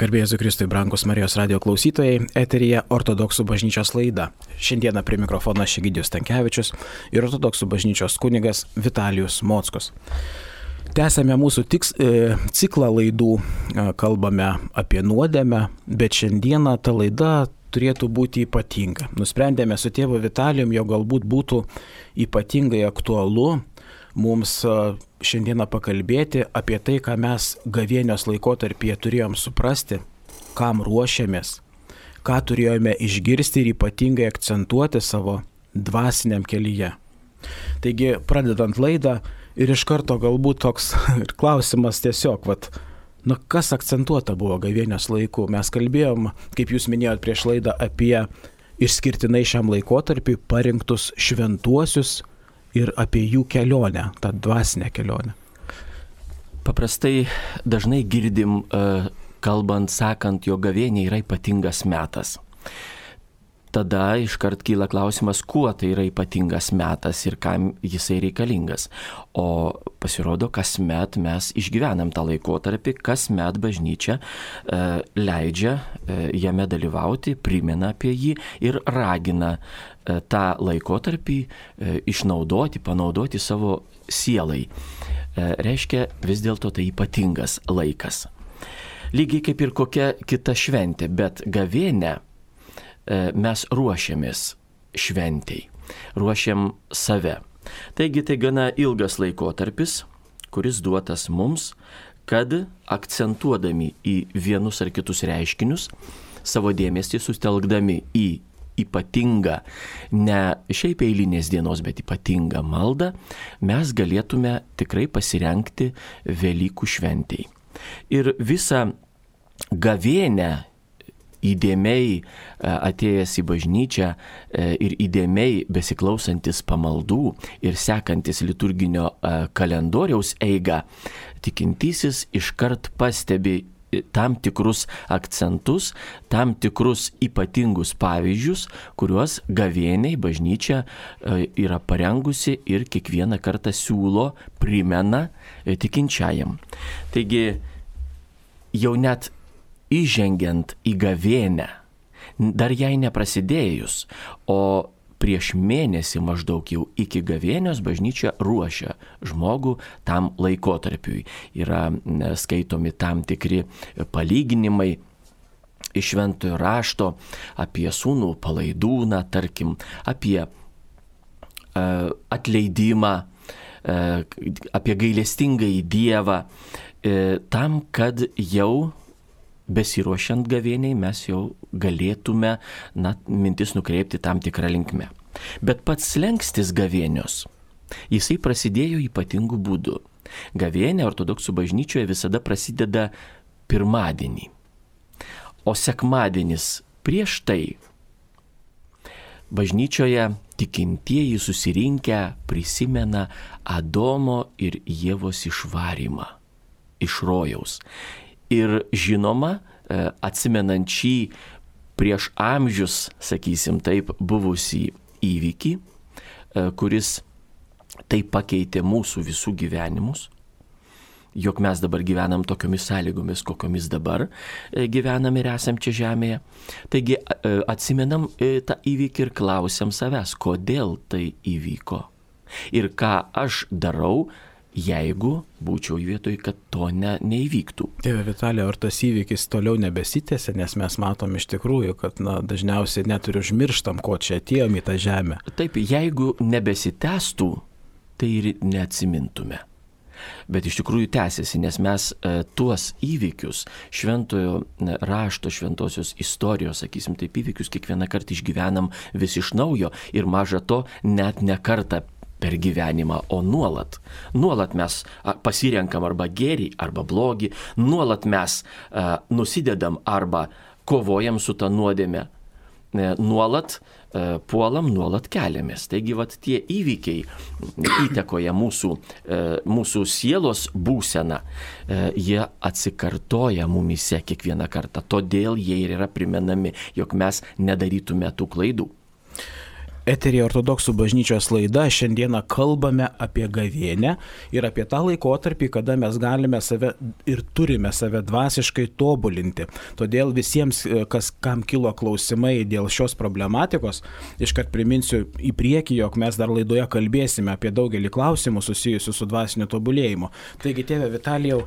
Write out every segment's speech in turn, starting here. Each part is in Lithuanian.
Garbė Jėzui Kristui, brangus Marijos radio klausytojai, eteryje Ortodoksų bažnyčios laida. Šiandieną prie mikrofono Egidijus Stankevičius ir Ortodoksų bažnyčios kunigas Vitalijus Mockus. Tęsėme mūsų ciklą laidų, kalbame apie nuodėmę, bet šiandieną ta laida turėtų būti ypatinga. Nusprendėme su tėvu Vitalijum, jo galbūt būtų ypatingai aktualu mums šiandieną pakalbėti apie tai, ką mes gavėnios laikotarpyje turėjom suprasti, kam ruošiamės, ką turėjome išgirsti ir ypatingai akcentuoti savo dvasiniam kelyje. Taigi, pradedant laidą ir iš karto galbūt toks klausimas tiesiog, kas akcentuota buvo gavėnios laiku. Mes kalbėjom, kaip jūs minėjot prieš laidą, apie išskirtinai šiam laikotarpiui parinktus šventuosius ir apie jų kelionę, tą dvasinę kelionę. Paprastai dažnai girdim, kalbant, sakant, jog gavėnia yra ypatingas metas. Tada iškart kyla klausimas, kuo tai yra ypatingas metas ir kam jisai reikalingas. O pasirodo, kasmet mes išgyvenam tą laikotarpį, kasmet bažnyčia leidžia jame dalyvauti, primena apie jį ir ragina tą laikotarpį išnaudoti, panaudoti savo sielai. Reiškia, vis dėlto tai ypatingas laikas. Lygiai kaip ir kokia kita šventė, bet gavėnia mes ruošiamės šventei, ruošiam save. Taigi tai gana ilgas laikotarpis, kuris duotas mums, kad akcentuodami į vienus ar kitus reiškinius, savo dėmesį sustelkdami į ypatingą, ne šiaip eilinės dienos, bet ypatingą maldą, mes galėtume tikrai pasirengti Velykų šventei. Ir visą gavėnią įdėmiai atėjęs į bažnyčią ir įdėmiai besiklausantis pamaldų ir sekantis liturginio kalendoriaus eigą, tikintysis iškart pastebi tam tikrus akcentus, tam tikrus ypatingus pavyzdžius, kuriuos gavėniai bažnyčia yra parengusi ir kiekvieną kartą siūlo, primena tikinčiajam. Taigi jau net įžengiant į gavėnią, dar jai neprasidėjus, o prieš mėnesį maždaug jau iki gavėnios bažnyčia ruošia žmogų tam laikotarpiui. Yra skaitomi tam tikri palyginimai iš Šventojo rašto apie sūnų palaidūną, tarkim, apie atleidimą, apie gailestingąjį Dievą, tam, kad jau besiruošiant gavėniai mes jau galėtume mintis nukreipti tam tikrą linkmę. Bet pats slenkstis gavėnios, jisai prasidėjo ypatingų būdų. Gavėnė ortodoksų bažnyčioje visada prasideda pirmadienį, o sekmadienis prieš tai bažnyčioje tikintieji susirinkę prisimena Adomo ir Ievos išvarymą iš rojaus. Ir žinoma, atsimenant šį prieš amžius, sakysim taip, buvusį įvykį, kuris taip pakeitė mūsų visų gyvenimus, jog mes dabar gyvenam tokiomis sąlygomis, kokiomis dabar gyvenam ir esam čia žemėje. Taigi atsimenam tą įvykį ir klausiam savęs, kodėl tai įvyko ir ką aš darau, jeigu būčiau vietoj, kad to neįvyktų. Tėve Vitalija, ar tas įvykis toliau nebesitęsia, nes mes matom iš tikrųjų, kad dažniausiai net ir užmirštam, ko čia atėjom į tą žemę. Taip, jeigu nebesitęstų, tai ir neatsimintume. Bet iš tikrųjų tęsiasi, nes mes tuos įvykius, Šventojo rašto, šventosios istorijos, sakysim taip, įvykius kiekvieną kartą išgyvenam vis iš naujo ir maža to net ne kartą per gyvenimą, o nuolat. Nuolat mes pasirenkam arba gėrį, arba blogį, nuolat mes nusidedam arba kovojam su ta nuodėme, nuolat puolam, nuolat keliamės. Taigi tie įvykiai įtakoja mūsų sielos būseną, jie atsikartoja mumyse kiekvieną kartą, todėl jie ir yra primenami, jog mes nedarytume tų klaidų. Eteryje Ortodoksų bažnyčios laida. Šiandieną kalbame apie gavėnią ir apie tą laikotarpį, kada mes galime save ir turime save dvasiškai tobulinti. Todėl visiems, kam kilo klausimai dėl šios problematikos, iškart priminsiu į priekį, jog mes dar laidoje kalbėsime apie daugelį klausimų susijusių su dvasiniu tobulėjimu. Taigi, tėve Vitalijau,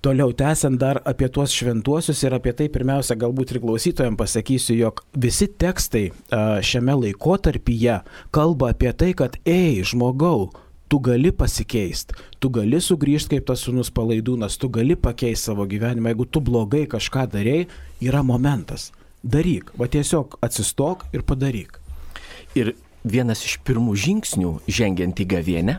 toliau tęsiant dar apie tuos šventuosius ir apie tai pirmiausia galbūt ir klausytojams pasakysiu, jog visi tekstai šiame laikotarpyje kalba apie tai, kad žmogau, tu gali pasikeisti, tu gali sugrįžti kaip tas sūnus Palaidūnas, tu gali pakeisti savo gyvenimą, jeigu tu blogai kažką darei, yra momentas. Daryk, va tiesiog atsistok ir padaryk. Ir vienas iš pirmų žingsnių žengiant į gavėnią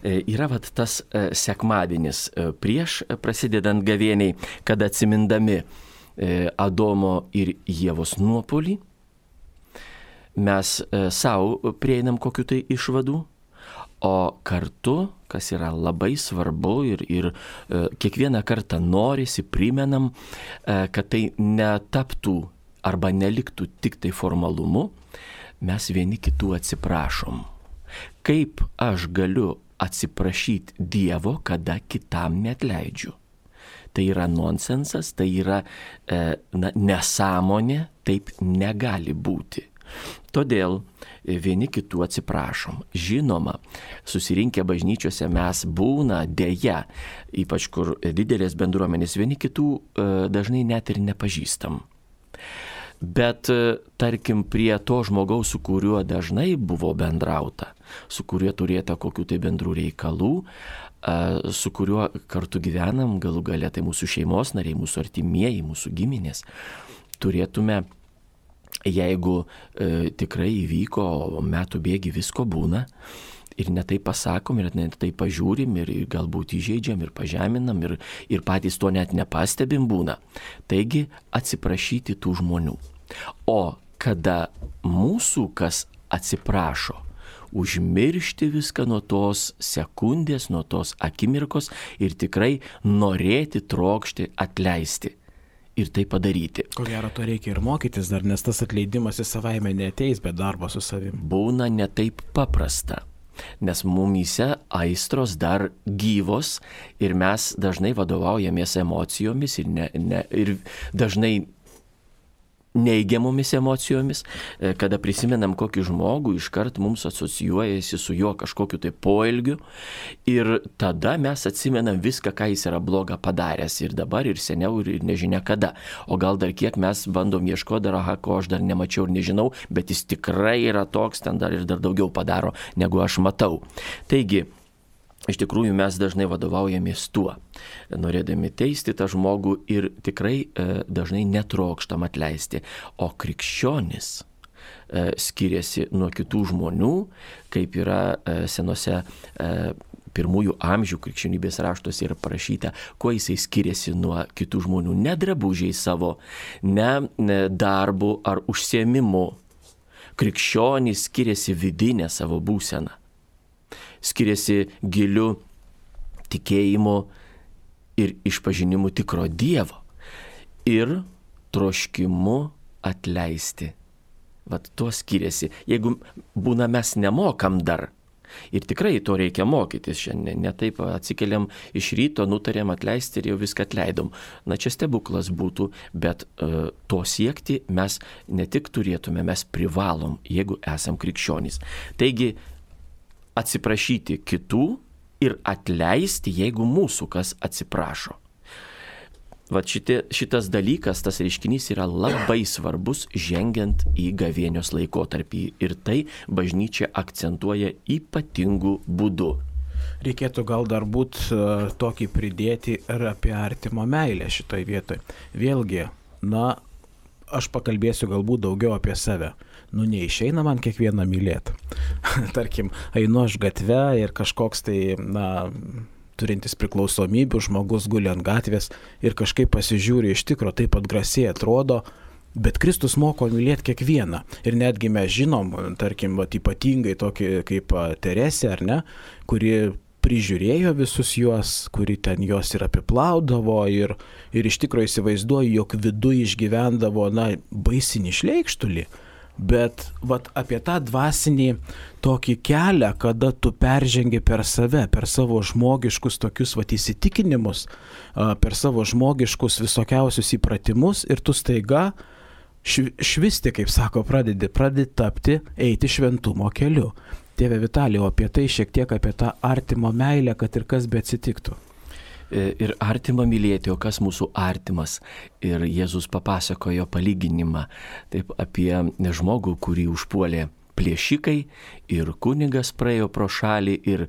yra tas sekmadienis prieš prasidedant gavėniai, kada atsimindami Adomo ir Ievos nuopuolį, mes savo prieinam kokiu tai išvadų, o kartu, kas yra labai svarbu ir kiekvieną kartą norisi, primenam, kad tai netaptų arba neliktų tik tai formalumu, mes vieni kitų atsiprašom. Kaip aš galiu atsiprašyti Dievo, kada kitam neatleidžiu? Tai yra nonsensas, tai yra nesąmonė, taip negali būti. Todėl vieni kitų atsiprašom. Žinoma, susirinkę bažnyčiose mes būna dėja, ypač kur didelės bendruomenės, vieni kitų dažnai net ir nepažįstam. Bet, tarkim, prie to žmogaus, su kuriuo dažnai buvo bendrauta, su kuriuo turėta kokių tai bendrų reikalų, su kuriuo kartu gyvenam, galų gale tai mūsų šeimos nariai, mūsų artimieji, mūsų giminės, turėtume, jeigu tikrai įvyko, metų bėgi visko būna, ir netai pasakom, ir netai pažiūrim, ir galbūt įžeidžiam, ir pažeminam, ir patys to net nepastebim būna. Taigi atsiprašyti tų žmonių. O kada mūsų kas atsiprašo, užmiršti viską nuo tos sekundės, nuo tos akimirkos ir tikrai norėti, trokšti, atleisti. Ir tai padaryti. Ko gero, to reikia ir mokytis dar, nes tas atleidimas į savaime neateis, bet darbo su savim. Būna netaip paprasta. Nes mumyse aistros dar gyvos ir mes dažnai vadovaujamės emocijomis ir dažnai neigiamomis emocijomis, kada prisimenam kokį žmogų, iškart mums asocijuojasi su juo kažkokiu tai poelgiu ir tada mes atsimenam viską, ką jis yra bloga padaręs ir dabar, ir seniau, ir nežinia kada. O gal dar kiek mes bandom ieškoti dar, ko aš dar nemačiau ir nežinau, bet jis tikrai yra toks, ten dar ir dar daugiau padaro, negu aš matau. Taigi, iš tikrųjų mes dažnai vadovaujamės tuo, norėdami teisti tą žmogų ir tikrai dažnai netrokštam atleisti. O krikščionis skiriasi nuo kitų žmonių, kaip yra senose pirmųjų amžių krikščionybės raštuose yra parašyta, kuo jisai skiriasi nuo kitų žmonių. Ne drabužiai savo, ne darbu ar užsiėmimu. Krikščionis skiriasi vidinę savo būseną. Skiriasi giliu tikėjimu ir išpažinimu tikro Dievo ir troškimu atleisti. Vat to skiriasi. Jeigu būna mes nemokam dar, ir tikrai to reikia mokytis šiandien, ne taip atsikeliam iš ryto, nutarėm atleisti ir jau viską atleidom. Na čia stebuklas būtų, bet to siekti mes ne tik turėtume, mes privalom, jeigu esam krikščionys. Taigi, atsiprašyti kitų ir atleisti, jeigu mūsų kas atsiprašo. Vat šitas dalykas, tas reiškinys yra labai svarbus žengiant į gavėnios laikotarpį ir tai bažnyčia akcentuoja ypatingų būdų. Reikėtų gal dar būt tokį pridėti ir apie artimo meilę šitoj vietoj. Vėlgi, aš pakalbėsiu galbūt daugiau apie save. Neišeina man kiekvieną mylėti. Tarkim, einu aš gatve ir kažkoks tai, turintis priklausomybių žmogus guli ant gatvės ir kažkaip pasižiūri iš tikro, taip atgrasiai atrodo, bet Kristus moko mylėti kiekvieną. Ir netgi mes žinom, tarkim, ypatingai tokį kaip Teresė, ar ne, kuri prižiūrėjo visus juos, kuri ten juos ir apiplaudavo ir iš tikro įsivaizduoju, jog viduje išgyvendavo, baisinį šleikštulį. bet vat apie tą dvasinį tokį kelią, kada tu peržengi per save, per savo žmogiškus tokius vat įsitikinimus, per savo žmogiškus visokiausius įpratimus ir tu staiga švisti, kaip sako, pradedi tapti, eiti šventumo keliu. Tėve Vitalijau, apie tai šiek tiek apie tą artimo meilę, kad ir kas be atsitiktų. Ir artimą mylėti, o kas mūsų artimas. Ir Jėzus papasakojo palyginimą taip apie žmogų, kurį užpuolė plėšikai, ir kunigas praėjo pro šalį, ir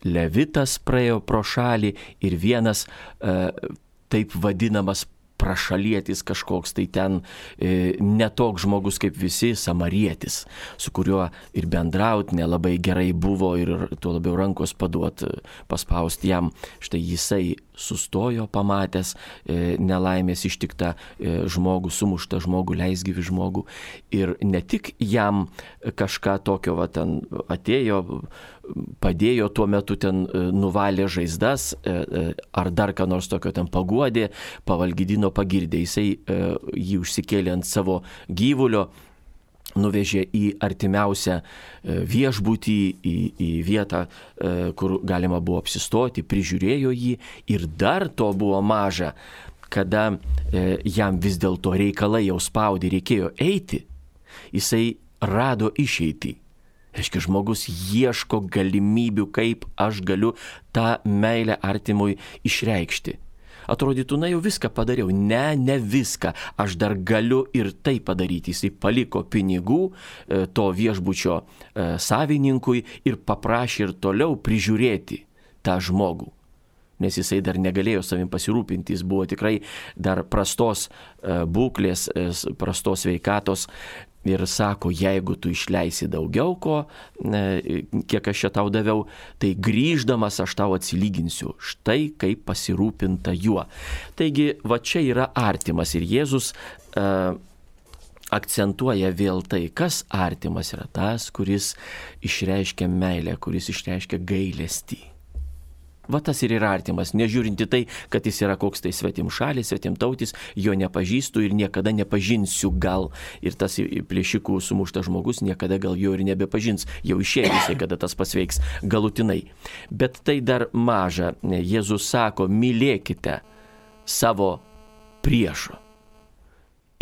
levitas praėjo pro šalį, ir vienas taip vadinamas prašalietis kažkoks, tai ten netoks žmogus kaip visi, samarietis, su kuriuo ir bendraut nelabai gerai buvo ir tuo labiau rankos paduot, paspausti jam. Štai jisai sustojo pamatęs nelaimės ištiktą žmogų, sumuštą žmogų, leisgyvį žmogų. Ir ne tik jam kažką tokio ten atėjo, padėjo tuo metu ten nuvalė žaizdas ar dar ką nors tokio ten paguodė, pavalgydino, pagirdė. Jisai jį užsikėlė ant savo gyvulio, nuvežė į artimiausią viešbutį, į vietą, kur galima buvo apsistoti, prižiūrėjo jį ir dar to buvo maža, kada jam vis dėlto reikalai jau spaudė, reikėjo eiti, jisai rado išeitį. Reiškia, žmogus ieško galimybių, kaip aš galiu tą meilę artimui išreikšti. Atrodytų, jau viską padariau. Ne viską. Aš dar galiu ir tai padaryti. Jisai paliko pinigų to viešbučio savininkui ir paprašė ir toliau prižiūrėti tą žmogų. Nes jisai dar negalėjo savim pasirūpinti. Jis buvo tikrai dar prastos būklės, prastos sveikatos. Ir sako, jeigu tu išleisi daugiau ko, kiek aš čia tau daviau, tai grįždamas aš tau atsilyginsiu. Štai kaip pasirūpinta juo. Taigi, va čia yra artimas. Ir Jėzus akcentuoja vėl tai, kas artimas yra tas, kuris išreiškia meilę, kuris išreiškia gailestį. Va tas ir yra artimas, nežiūrinti tai, kad jis yra koks tai svetimšalis, svetimtautis, jo nepažįstu ir niekada nepažinsiu gal. Ir tas plėšikų sumuštas žmogus niekada gal jo ir nebepažins, jau išėjo jisai, kada tas pasveiks galutinai. Bet tai dar maža. Jėzus sako, mylėkite savo priešą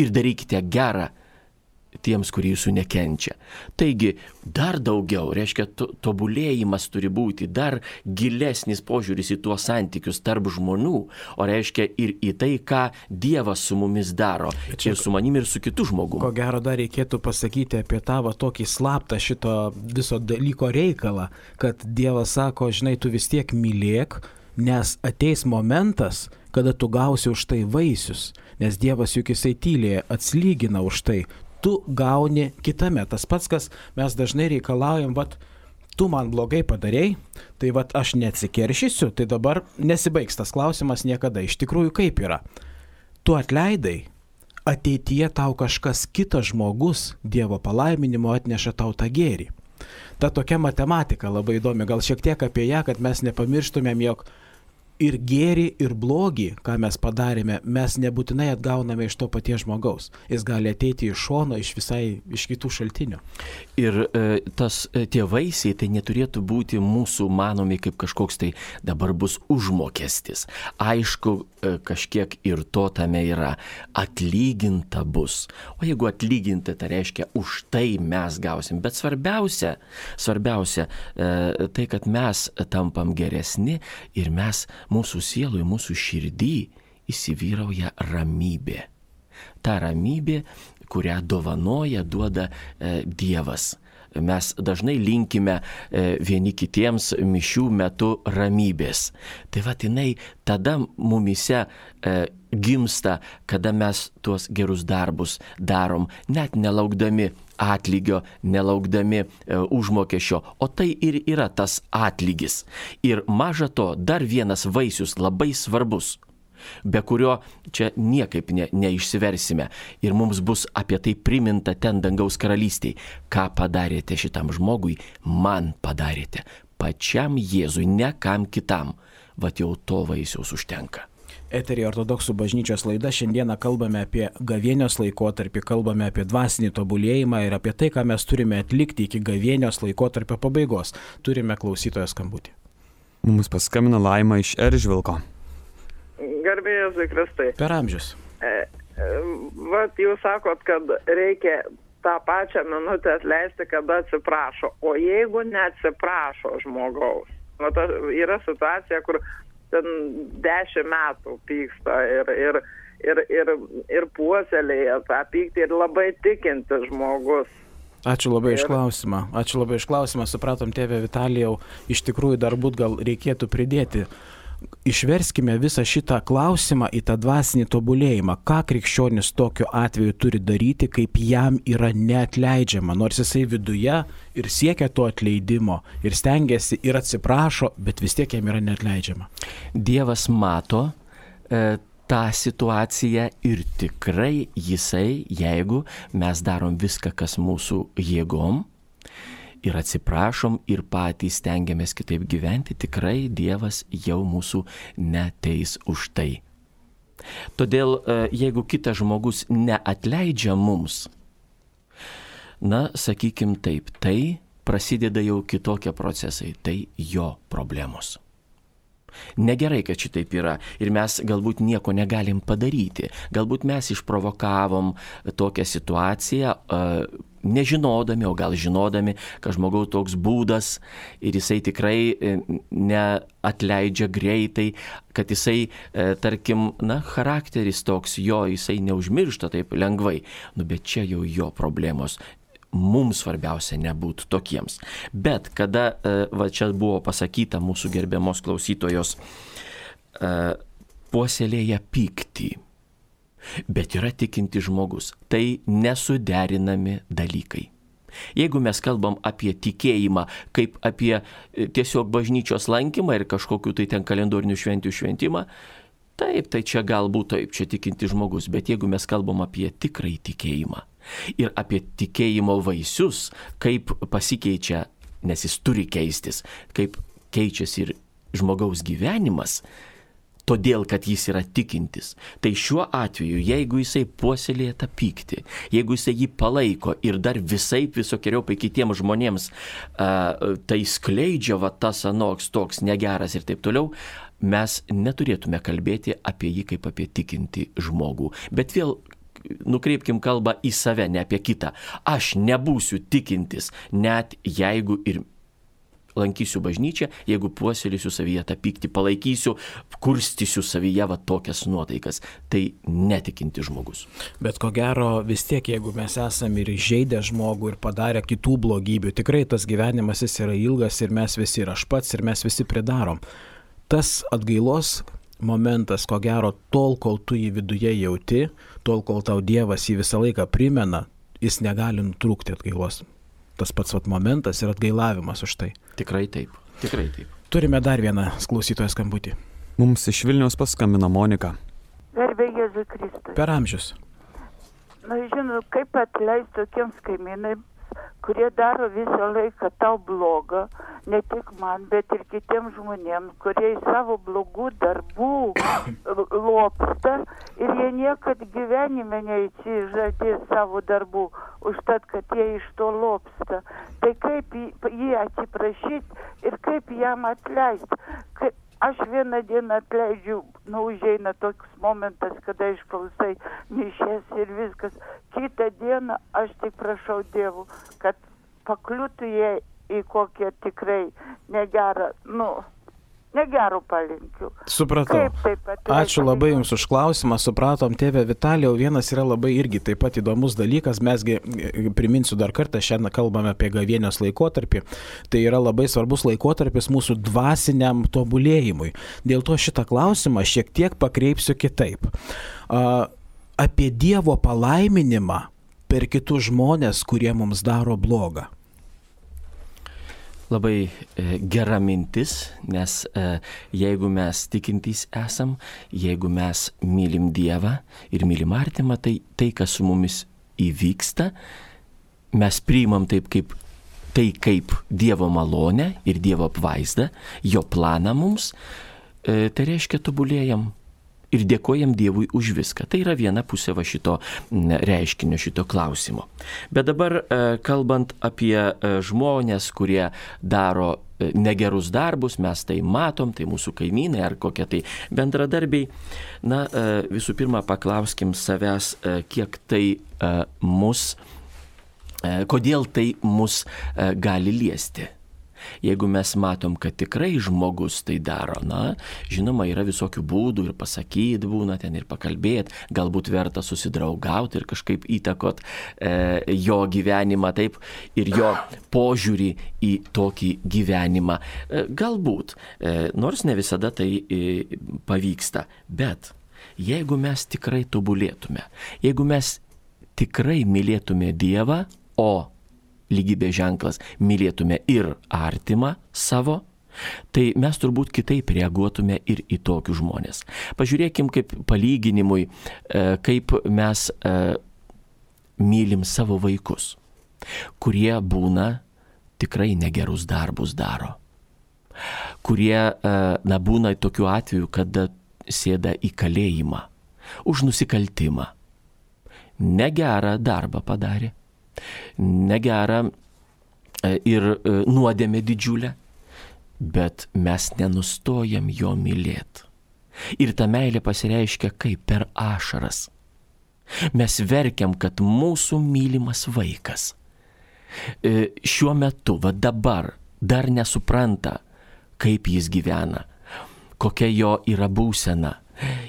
ir darykite gerą tiems, kurie jūsų nekenčia. Taigi, dar daugiau, reiškia, tobulėjimas turi būti, dar gilesnis požiūris į tuos santykius tarp žmonių, o reiškia ir į tai, ką Dievas su mumis daro, čia, ir su manim, ir su kitu žmogumi. Ko gero dar reikėtų pasakyti apie tą tokį slaptą šito viso dalyko reikalą, kad Dievas sako, žinai, tu vis tiek mylėk, nes ateis momentas, kada tu gausi už tai vaisius, nes Dievas juk jisai tyliai atslygina už tai. Tu gauni kitame. Tas pats, kas mes dažnai reikalaujam, tu man blogai padarei, tai aš neatsikeršysiu, tai dabar nesibaigs tas klausimas niekada. Iš tikrųjų, kaip yra? Tu atleidai, ateityje tau kažkas kitas žmogus Dievo palaiminimo atneša tau tą gėrį. Ta tokia matematika labai įdomi, gal šiek tiek apie ją, kad mes nepamirštumėm, jog ir gėrį, ir blogį, ką mes padarėme, mes nebūtinai atgauname iš to paties žmogaus. Jis gali ateiti iš šono, iš kitų šaltinių. Ir tie vaisiai, tai neturėtų būti mūsų manomi kaip kažkoks tai dabar bus užmokestis. Aišku, kažkiek ir to tame yra. Atlyginta bus. O jeigu atlyginta, tai reiškia, už tai mes gausim. Bet svarbiausia, tai, kad mes tampam geresni ir mūsų sielui, mūsų širdį įsivyrauja ramybė. Ta ramybė, kurią duoda Dievas. Mes dažnai linkime vieni kitiems mišių metu ramybės. Tai jinai tada mumyse gimsta, kada mes tuos gerus darbus darom, net nelaukdami atlygio, nelaukdami užmokesčio, o tai ir yra tas atlygis. Ir maža to, dar vienas vaisius labai svarbus, be kurio čia niekaip neišsiversime. Ir mums bus apie tai priminta ten dangaus karalystėje. Ką padarėte šitam žmogui, man padarėte. Pačiam Jėzui, ne kam kitam. Vat jau to vaisiaus užtenka. Eterija Ortodoksų bažnyčios laida. Šiandieną kalbame apie gavėnios laikotarpį, kalbame apie dvasinį tobulėjimą ir apie tai, ką mes turime atlikti iki gavėnios laikotarpio pabaigos. Turime klausytojo skambutį. Mums paskambino Laima iš Eržvilko. Garbė Jėzui Kristai. Per amžius. Vat jūs sakot, kad reikia tą pačią minutę atleisti, kada atsiprašo. O jeigu neatsiprašo žmogaus, yra situacija, kur ten 10 metų pyksta ir puoselėja tą pyktį ir labai tikintis žmogus. Ačiū labai iš klausimą. Supratom, tėve Vitalijau, iš tikrųjų dar gal reikėtų pridėti. Išverskime visą šitą klausimą į tą dvasinį tobulėjimą. Ką krikščionis tokiu atveju turi daryti, kaip jam yra neatleidžiama, nors jisai viduje ir siekia to atleidimo, ir stengiasi, ir atsiprašo, bet vis tiek jam yra neatleidžiama. Dievas mato tą situaciją ir tikrai jisai, jeigu mes darom viską, kas mūsų jėgom, ir atsiprašom ir patys stengiamės kitaip gyventi, tikrai Dievas jau mūsų neteis už tai. Todėl, jeigu kitas žmogus neatleidžia mums, sakykim taip, tai prasideda jau kitokie procesai, tai jo problemos. Negerai, kad šitaip yra ir mes galbūt nieko negalim padaryti. Galbūt mes išprovokavom tokią situaciją, nežinodami, o gal žinodami, kad žmogaus toks būdas ir jisai tikrai neatleidžia greitai, kad jisai, tarkim, charakteris toks jo, jisai neužmiršta taip lengvai. Bet čia jau jo problemos. Mums svarbiausia nebūtų tokiems. Bet kada, čia buvo pasakyta mūsų gerbiamos klausytojos, puoselėja pyktį, bet yra tikinti žmogus, tai nesuderinami dalykai. Jeigu mes kalbam apie tikėjimą, kaip apie tiesiog bažnyčios lankymą ir kažkokiu tai ten kalendorinių švenčių šventimą, taip, tai čia galbūt taip, čia tikinti žmogus, bet jeigu mes kalbam apie tikrąjį tikėjimą, ir apie tikėjimo vaisius, kaip pasikeičia, nes jis turi keistis, kaip keičiasi ir žmogaus gyvenimas, todėl, kad jis yra tikintis. Tai šiuo atveju, jeigu jisai puoselėja tą pyktį, jeigu jisai jį palaiko ir dar visokiojopai kitiems žmonėms tai skleidžia, tas anoks toks negeras ir taip toliau, mes neturėtume kalbėti apie jį kaip apie tikintį žmogų. Bet vėl nukreipkim kalbą į save, ne apie kitą. Aš nebūsiu tikintis, net jeigu ir lankysiu bažnyčią, jeigu puoselėsiu savyje tą pyktį, palaikysiu, kurstysiu savyje tokias nuotaikas. Tai netikinti žmogus. Bet ko gero vis tiek, jeigu mes esame ir įžeidę žmogų ir padarę kitų blogybių, tikrai tas gyvenimas jis yra ilgas ir mes visi, ir aš pats, ir mes visi pridarom. Tas atgailos momentas, ko gero, tol, kol tu jį viduje jauti, tol, kol tau Dievas jį visą laiką primena, jis negali nutrūkti atgailos. Tas pats momentas ir atgailavimas už tai. Tikrai taip. Turime dar vieną klausytojo skambutį. Mums iš Vilniaus paskambino Monika. Garbė Jėzui Kristui. Per amžius. Žinau, kaip atleisti tokiems kaimynai, kurie daro visą laiką tau blogą, ne tik man, bet ir kitiems žmonėms, kurie į savo blogų darbų lopsta ir jie niekad gyvenime neatsižadės savo darbų, užtat, kad jie iš to lopsta. Tai kaip jį atsiprašyti ir kaip jam atleisti? Aš vieną dieną atleidžiu, užeina toks momentas, kada išklausai mišias ir viskas. Kitą dieną aš tik prašau Dievų, kad pakliūtų jie į kokią tikrai negerą, negerų palinkių. Supratau. Ačiū labai Jums už klausimą. Supratom, tėve Vitalijau, vienas yra labai irgi taip pat įdomus dalykas. Mesgi, priminsiu dar kartą, šiandien kalbame apie gavėnios laikotarpį. Tai yra labai svarbus laikotarpis mūsų dvasiniam tobulėjimui. Dėl to šitą klausimą šiek tiek pakreipsiu kitaip. Apie Dievo palaiminimą per kitus žmonės, kurie mums daro blogą. Labai gera mintis, nes jeigu mes tikintys esam, jeigu mes mylim Dievą ir mylim artimą, tai kas su mumis įvyksta, mes priimam kaip Dievo malonę ir Dievo apvaizdą, jo planą mums, tai reiškia tobulėjam Ir dėkojam Dievui už viską. Tai yra viena pusė va šito reiškinio, šito klausimo. Bet dabar kalbant apie žmonės, kurie daro negerus darbus, mes tai matom, tai mūsų kaimynai ar kokie tai bendradarbiai. Na, visų pirma, paklauskim savęs, kiek tai kodėl tai mus gali liesti. Jeigu mes matom, kad tikrai žmogus tai daro, na, žinoma, yra visokių būdų ir pasakyti būna ten ir pakalbėti, galbūt verta susidraugauti ir kažkaip įtakot jo gyvenimą taip ir jo požiūrį į tokį gyvenimą. Galbūt, nors ne visada tai pavyksta, bet jeigu mes tikrai tobulėtume, jeigu mes tikrai mylėtume Dievą, o lygybės ženklas mylėtume ir artimą savo, tai mes turbūt kitaip reaguotume ir į tokius žmonės. Pažiūrėkim kaip palyginimui, kaip mes mylim savo vaikus, kurie būna tikrai negerus darbus daro, kurie būna tokiu atveju, kada sėda į kalėjimą už nusikaltimą, negerą darbą padarė, negerą ir nuodėmę didžiulę, bet mes nenustojam jo mylėti. Ir ta meilė pasireiškia kaip per ašaras. Mes verkiam, kad mūsų mylimas vaikas šiuo metu, va dabar, dar nesupranta, kaip jis gyvena, kokia jo yra būsena.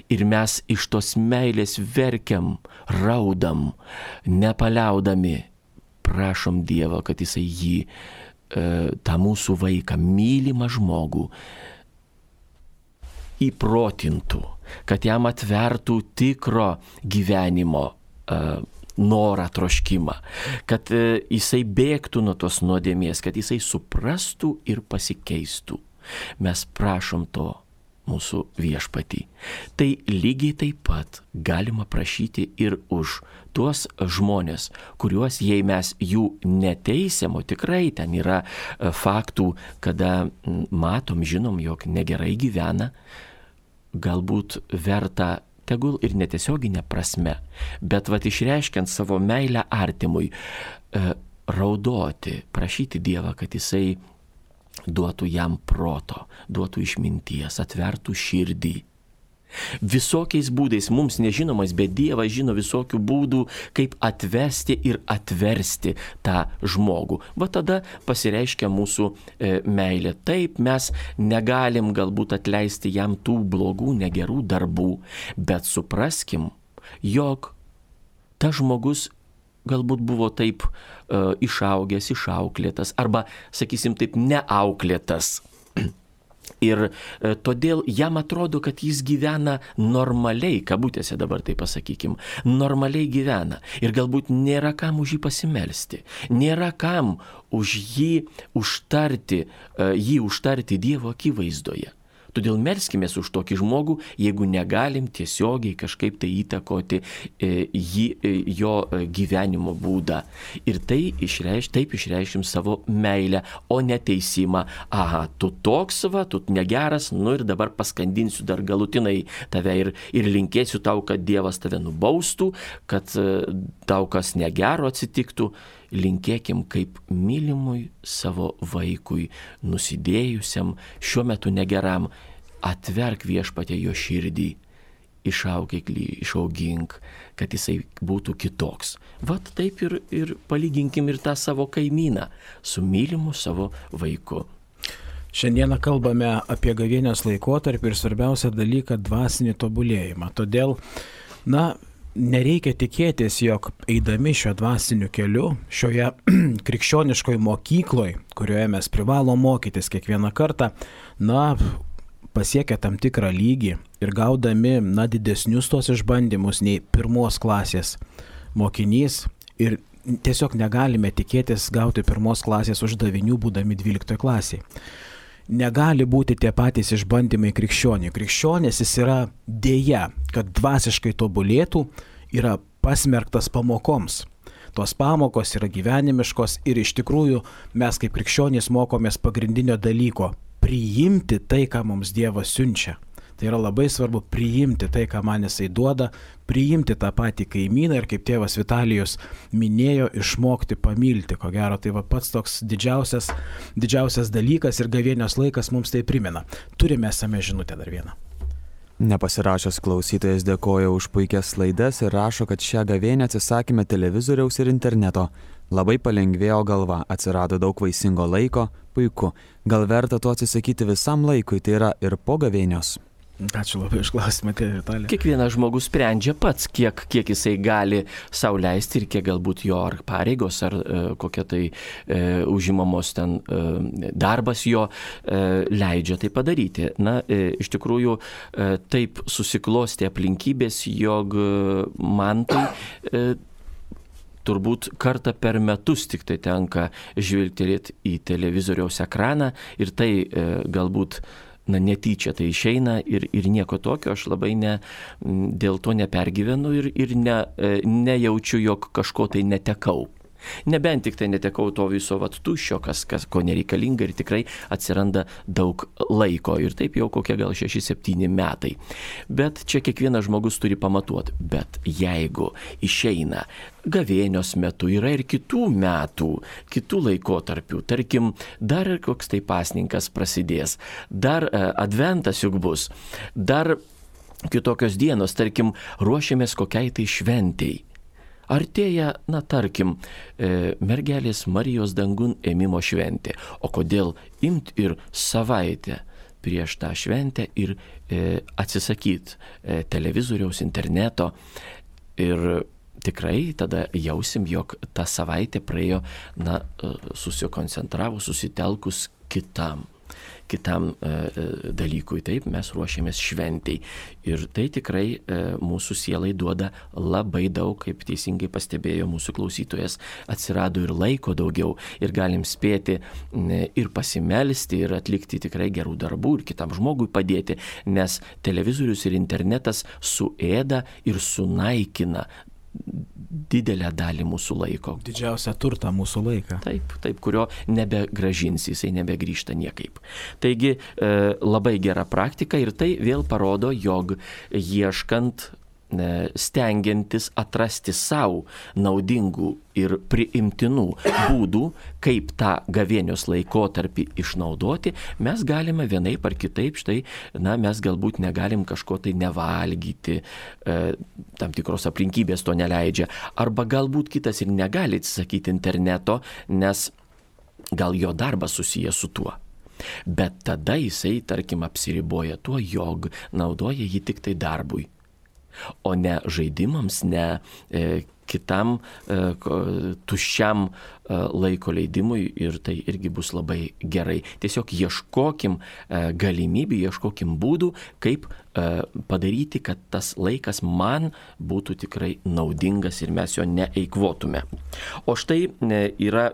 Ir mes iš tos meilės verkiam, raudam, nepaliaudami. Prašom Dievą, kad jisai jį, tą mūsų vaiką, mylimą žmogų, įprotintų, kad jam atvertų tikro gyvenimo norą, troškimą, kad jisai bėgtų nuo tos nuodėmės, kad jisai suprastų ir pasikeistų. Mes prašom to mūsų viešpatį. Tai lygiai taip pat galima prašyti ir už tuos žmonės, kuriuos, jei mes jų neteisiam, o tikrai ten yra faktų, kada matom, žinom, jog negerai gyvena, galbūt verta tegul ir netiesioginė prasme, bet išreiškiant savo meilę artimui, raudoti, prašyti Dievą, kad jisai duotų jam proto, duotų išminties, atvertų širdį. Visokiais būdais, mums nežinomais, bet Dievas žino visokių būdų, kaip atvesti ir atversti tą žmogų. Va tada pasireiškia mūsų meilė. Taip, mes negalim galbūt atleisti jam tų blogų, negerų darbų, bet supraskim, jog tas žmogus galbūt buvo taip išaugęs, išauklėtas, arba, sakysim, taip neauklėtas. Ir todėl jam atrodo, kad jis gyvena normaliai, kabutėse dabar tai pasakykim, normaliai gyvena. Ir galbūt nėra kam už jį pasimelsti, nėra kam už jį užtarti Dievo akivaizdoje. Todėl melskimės už tokį žmogų, jeigu negalim tiesiogiai kažkaip tai įtakoti jo gyvenimo būdą. Ir taip išreiškim savo meilę, o ne teisimą. Aha, tu toks va, tu negeras, ir dabar paskandinsiu dar galutinai tave ir linkėsiu tau, kad Dievas tave nubaustų, kad tau kas negero atsitiktų. Linkėkim kaip mylimui savo vaikui, nusidėjusiam, šiuo metu negeram, atverk viešpatie jo širdį, išaugink, kad jisai būtų kitoks. Vat taip ir palyginkim ir tą savo kaimyną su mylimu savo vaiku. Šiandieną kalbame apie gavėnios laikotarpį ir svarbiausią dalyką - dvasinį tobulėjimą. Todėl, nereikia tikėtis, jog eidami šio dvasiniu keliu, šioje krikščioniškoje mokykloje, kurioje mes privalom mokytis kiekvieną kartą, pasiekę tam tikrą lygį ir gaudami didesnius tos išbandymus nei pirmos klasės mokinys ir tiesiog negalime tikėtis gauti pirmos klasės uždavinių būdami 12 klasėje. Negali būti tie patys išbandymai krikščioniui. Krikščionis jis yra dėja, kad dvasiškai tobulėtų, yra pasmerktas pamokoms. Tos pamokos yra gyvenimiškos ir iš tikrųjų mes kaip krikščionys mokomės pagrindinio dalyko - priimti tai, ką mums Dievas siunčia. Tai yra labai svarbu priimti tai, ką man jisai duoda, priimti tą patį kaimyną ir kaip tėvas Vitalijus minėjo, išmokti pamilti. Ko gero, tai pats toks didžiausias dalykas ir gavėnios laikas mums tai primena. Turime esame žinutę dar vieną. Nepasirašęs klausytojas dėkoja už puikias laidas ir rašo, kad šią gavėnę atsisakėme televizoriaus ir interneto. Labai palengvėjo galva, atsirado daug vaisingo laiko, puiku. Gal verta to atsisakyti visam laikui, tai yra ir po gavėnios? Ačiū labai už klausimą, tėvė Vitalija. Kiekvienas žmogus sprendžia pats, kiek jisai gali sau leisti ir kiek galbūt jo ar pareigos, ar kokia tai užimamos ten darbas jo leidžia tai padaryti. Na, iš tikrųjų, taip susiklosti aplinkybės, jog man tai turbūt kartą per metus tik tai tenka žvilgtelėti į televizoriaus ekraną ir tai galbūt netyčia tai išeina ir nieko tokio, aš labai dėl to nepergyvenu ir nejaučiu, jog kažko tai netekau. Nebent tik tai netekau to viso tuščio, kas ko nereikalinga ir tikrai atsiranda daug laiko ir taip jau kokie gal 6-7 metai. Bet čia kiekvienas žmogus turi pamatuoti. Bet jeigu išeina gavėnios metu, yra ir kitų metų, kitų laikotarpių, tarkim, dar koks tai pasninkas prasidės, dar adventas juk bus, dar kitokios dienos, tarkim, ruošiamės kokiai tai šventei. Artėja, tarkim, mergelės Marijos dangun ėmimo šventė. O kodėl imt ir savaitę prieš tą šventę ir atsisakyti televizoriaus, interneto ir tikrai tada jausim, jog ta savaitė praėjo, susikoncentravus, susitelkus kitam dalykui. Taip, mes ruošiamės šventei. Ir tai tikrai mūsų sielai duoda labai daug, kaip teisingai pastebėjo mūsų klausytojas, atsirado ir laiko daugiau ir galim spėti ir pasimelsti, ir atlikti tikrai gerų darbų, ir kitam žmogui padėti, nes televizorius ir internetas suėda ir sunaikina didelę dalį mūsų laiko. Didžiausią turtą mūsų laiką. Taip, kurio nebegrąžins, jisai nebegrįžta niekaip. Taigi labai gera praktika ir tai vėl parodo, jog ieškant, stengiantis atrasti savo naudingų ir priimtinų būdų, kaip tą gavėnios laikotarpį išnaudoti, mes galime vienaip ar kitaip, štai, mes galbūt negalim kažko tai nevalgyti, tam tikros aplinkybės to neleidžia, arba galbūt kitas ir negali atsisakyti interneto, nes gal jo darbas susijęs su tuo. Bet tada jisai, tarkim, apsiriboja tuo, jog naudoja jį tik tai darbui, o ne žaidimams, ne kitam tuščiam laiko leidimui ir tai irgi bus labai gerai. Tiesiog ieškokim galimybių, ieškokim būdų, kaip padaryti, kad tas laikas man būtų tikrai naudingas ir mes jo neeikvotume. O štai yra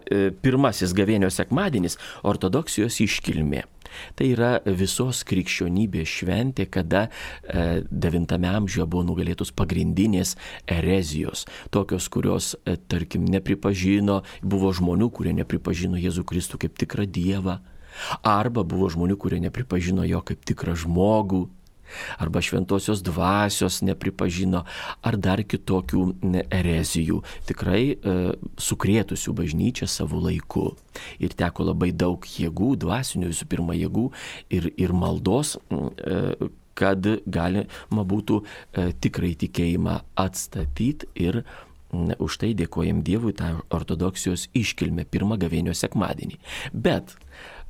pirmasis gavėnios sekmadienis, ortodoksijos iškilmė. Tai yra visos krikščionybės šventė, kada 9 amžiuje buvo nugalėtos pagrindinės erezijos, tokios, kurios, tarkim, nepripažino, buvo žmonių, kurie nepripažino Jėzų Kristų kaip tikrą Dievą, arba buvo žmonių, kurie nepripažino jo kaip tikrą žmogų, arba šventosios dvasios nepripažino, ar dar kitokių erezijų, tikrai sukrėtusių bažnyčią savo laiku. Ir teko labai daug jėgų, dvasinių visų pirma jėgų ir maldos, kad galima būtų tikrai tikėjimą atstatyti ir už tai dėkojam Dievui tą ortodoksijos iškilmę, pirmą gavėnios sekmadienį. Bet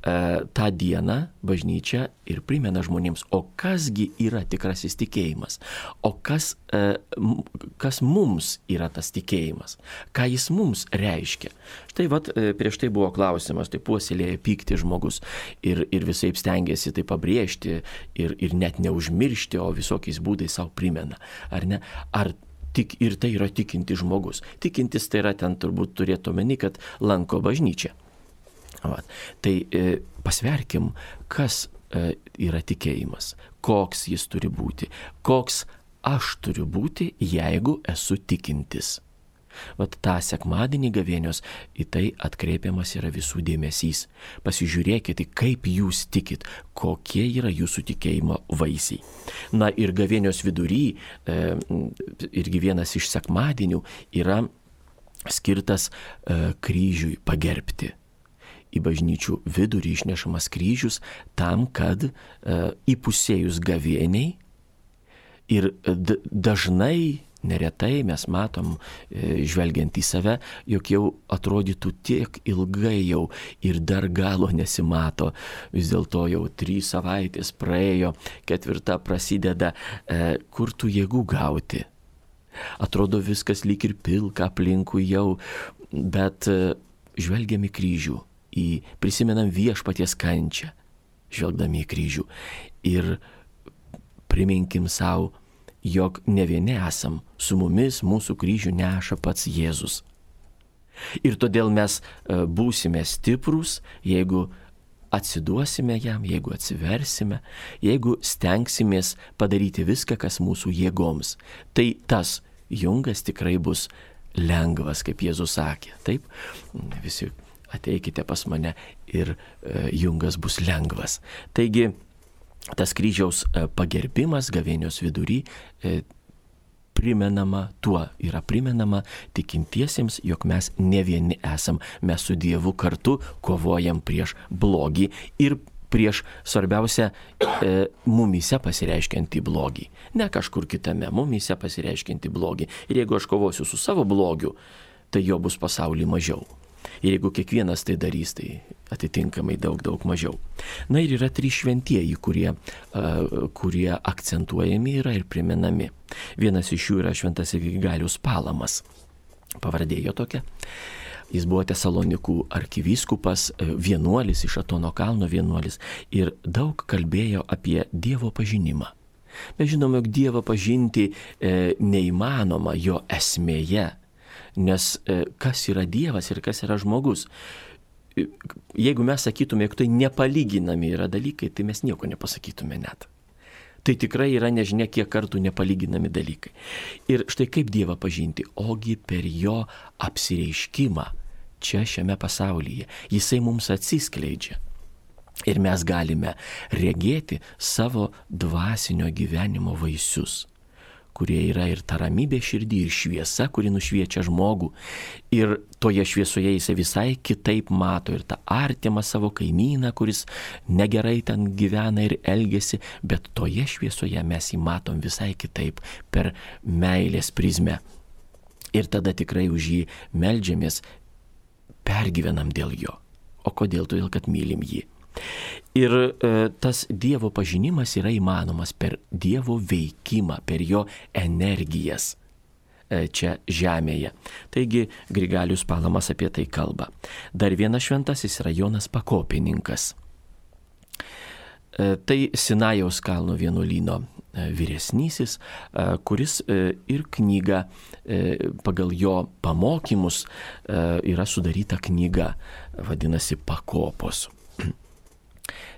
tą dieną bažnyčia ir primena žmonėms, o kasgi yra tikrasis tikėjimas, o kas mums yra tas tikėjimas, ką jis mums reiškia. Štai prieš tai buvo klausimas, tai puoselėja pykti žmogus ir visaip stengiasi tai pabrėžti ir net neužmiršti, o visokiais būdais savo primena, ar ne? Ir tai yra tikinti žmogus. Tikintis tai yra ten turbūt turėtų omeny, kad lanko bažnyčią. Tai pasverkim, kas yra tikėjimas, koks jis turi būti, koks aš turiu būti, jeigu esu tikintis. Vat tą sekmadienį gavėnios į tai atkreipiamas yra visų dėmesys. Pasižiūrėkite, kaip jūs tikit, kokie yra jūsų tikėjimo vaisiai. Na ir gavėnios vidury, irgi vienas iš sekmadienių yra skirtas kryžiui pagerbti. Į bažnyčių vidurį išnešamas kryžius tam, kad įpusėjus gavėniai ir dažnai, neretai mes matom, žvelgiant į save, jog jau atrodytų tiek ilgai jau ir dar galo nesimato. Vis dėlto jau 3 savaitės praėjo, 4 prasideda, kur tų jėgų gauti. Atrodo viskas lyg ir pilka aplinkui jau, bet žvelgiam į kryžių, prisimenam viešpaties kančią, žvelgdami į kryžių ir priminkim savo, jog ne vieni esam, su mumis mūsų kryžių neša pats Jėzus. Ir todėl mes būsime stiprūs, jeigu atsiduosime jam, jeigu atsiversime, jeigu stengsimės padaryti viską, kas mūsų jėgoms. Tai tas jungas tikrai bus lengvas, kaip Jėzus sakė. Taip, visi ateikite pas mane ir jungas bus lengvas. Taigi, tas kryžiaus pagerbimas gavėnios vidury yra primenama tikintiesiems, jog mes ne vieni esam, mes su Dievu kartu kovojam prieš blogį ir prieš, svarbiausia, mumyse pasireiškiantį blogį. Ne kažkur kitame, mumyse pasireiškiantį blogį. Ir jeigu aš kovosiu su savo blogiu, tai jo bus pasaulyje mažiau. Ir jeigu kiekvienas tai darys, tai atitinkamai daug mažiau. Na ir yra 3 šventieji, kurie akcentuojami yra ir primenami. Vienas iš jų yra šventasis Grigalius Palamas. Pavardė jo tokia. Jis buvo Tesalonikų arkivyskupas, vienuolis, iš Atono kalno vienuolis ir daug kalbėjo apie Dievo pažinimą. Mes žinome, jog Dievą pažinti neįmanoma jo esmėje. Nes kas yra Dievas ir kas yra žmogus? Jeigu mes sakytume, jog tai nepalyginami yra dalykai, tai mes nieko nepasakytume net. Tai tikrai yra nežinia kiek kartų nepalyginami dalykai. Ir štai kaip Dievą pažinti? Ogi per jo apsireiškimą čia šiame pasaulyje. Jisai mums atsiskleidžia. Ir mes galime regėti savo dvasinio gyvenimo vaisius, kurie yra ir ta ramybė širdį, ir šviesa, kuri nušviečia žmogų. Ir toje šviesoje jisai visai kitaip mato ir tą artimą savo kaimyną, kuris negerai ten gyvena ir elgesi, bet toje šviesoje mes jį matom visai kitaip, per meilės prizmę. Ir tada tikrai už jį meldžiamės, pergyvenam dėl jo. O kodėl? Todėl, kad mylim jį. Ir tas Dievo pažinimas yra įmanomas per Dievo veikimą, per jo energijas čia žemėje. Taigi Grigalius Palamas apie tai kalba. Dar vienas šventasis yra Jonas Pakopininkas. Tai Sinajaus kalno vienuolyno vyresnysis, kuris ir knyga pagal jo pamokymus yra sudaryta knyga, vadinasi Pakopos.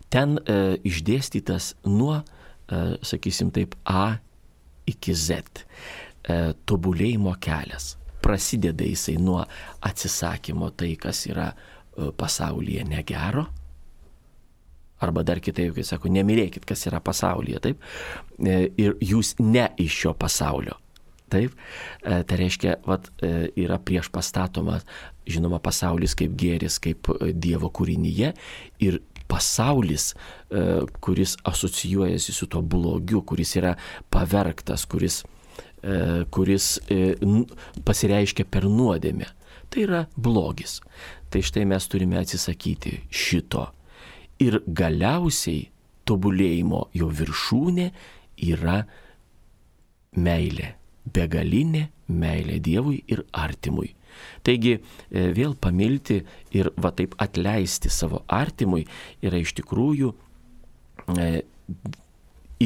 Ten išdėstytas nuo, sakysim taip, A iki Z tobulėjimo kelias. Prasideda jisai nuo atsisakymo tai, kas yra pasaulyje negero. Arba dar kitaip, kai sako, nemylėkit, kas yra pasaulyje, taip? Ir jūs ne iš šio pasaulio. Taip, tai reiškia, yra prieš pastatomas, žinoma, pasaulis kaip gėris, kaip Dievo kūrinyje ir pasaulis, kuris asocijuojasi su tuo blogiu, kuris yra pavergtas, kuris pasireiškia per nuodėmę. Tai yra blogis. Tai štai mes turime atsisakyti šito. Ir galiausiai tobulėjimo jo viršūnė yra meilė. Begalinė meilė Dievui ir artimui. Taigi vėl pamilti ir taip atleisti savo artimui yra iš tikrųjų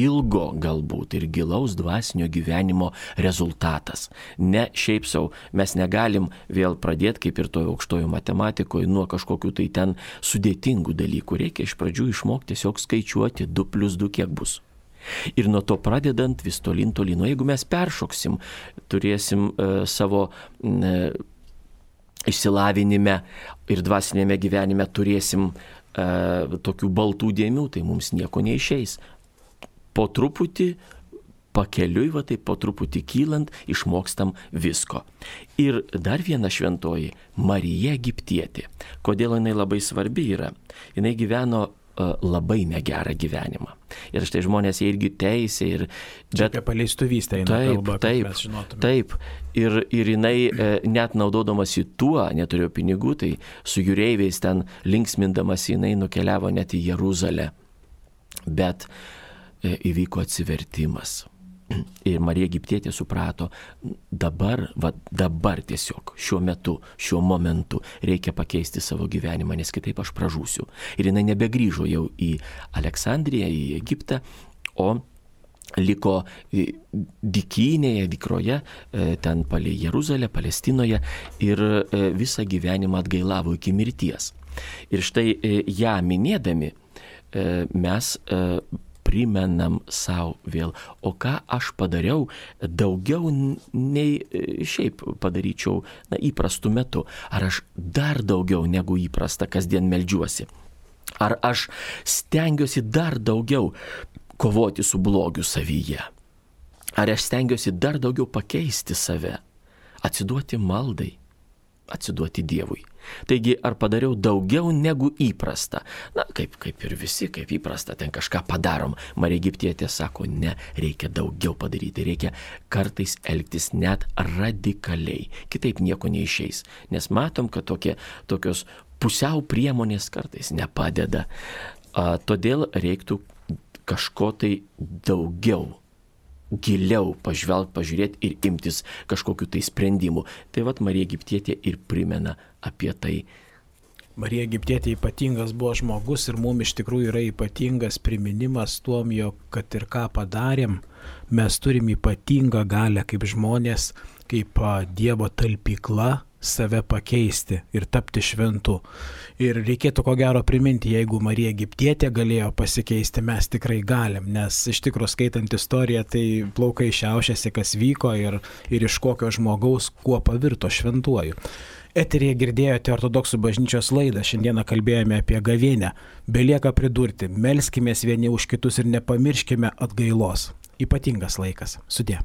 ilgo galbūt ir gilaus dvasinio gyvenimo rezultatas. Ne šiaip sau, mes negalim vėl pradėti, kaip ir toje aukštojo matematikoje, nuo kažkokių tai ten sudėtingų dalykų. Reikia iš pradžių išmokti tiesiog skaičiuoti 2 + 2 kiek bus. Ir nuo to pradedant vis tolyn. O jeigu mes peršoksim, turėsim savo išsilavinime ir dvasinėme gyvenime turėsim tokių baltų dėmių, tai mums nieko neišeis. Po truputį, pakeliui, taip po truputį kylant, išmokstam visko. Ir dar viena šventoji, Marija Egiptietė. Kodėl jinai labai svarbi yra? Jinai gyveno labai negerą gyvenimą. Ir štai žmonės jie irgi teisė. Čia apie paleistuvystę eina kalba, kad mes žinotume. Taip. Ir jinai net naudodamasi tuo, neturėjo pinigų, tai su jūreiviais ten linksmindamas jinai nukeliavo net į Jeruzalę. Bet įvyko atsivertimas. Ir Marija Egiptietė suprato, dabar tiesiog, šiuo metu, šiuo momentu reikia pakeisti savo gyvenimą, nes kitaip aš pražūsiu. Ir jinai nebegrįžo jau į Aleksandriją, į Egiptą, o liko dykynėje, dykroje, ten palei Jeruzalę, Palestinoje ir visą gyvenimą atgailavo iki mirties. Ir štai ją minėdami mes primenam savo vėl, o ką aš padariau daugiau nei šiaip padaryčiau įprastu metu. Ar aš dar daugiau negu įprasta kasdien meldžiuosi? Ar aš stengiuosi dar daugiau kovoti su blogiu savyje? Ar aš stengiuosi dar daugiau pakeisti save, atsiduoti maldai, atsiduoti Dievui? Taigi, ar padariau daugiau negu įprasta? Kaip ir visi, kaip įprasta, ten kažką padarom. Marija Egiptietė sako, ne, reikia daugiau padaryti, reikia kartais elgtis net radikaliai. Kitaip nieko neišeis, nes matom, kad tokios pusiau priemonės kartais nepadeda. Todėl reiktų kažko tai daugiau, giliau pažiūrėti ir imtis kažkokiu tai sprendimu. Tai Marija Egiptietė ir primena apie tai. Marija Egiptietė ypatingas buvo žmogus ir mums iš tikrųjų yra ypatingas priminimas tuom, jog kad ir ką padarėm, mes turim ypatingą galią kaip žmonės, kaip Dievo talpykla save pakeisti ir tapti šventu. Ir reikėtų ko gero priminti, jeigu Marija Egiptietė galėjo pasikeisti, mes tikrai galim, nes iš tikrųjų skaitant istoriją, tai plaukai šiaušiasi, kas vyko ir iš kokio žmogaus kuo pavirto šventuoju. Eteryje girdėjote Ortodoksų bažnyčios laidą, šiandieną kalbėjome apie gavėnią. Belieka pridurti, melskimės vieni už kitus ir nepamirškime atgailos. Ypatingas laikas. Sudie.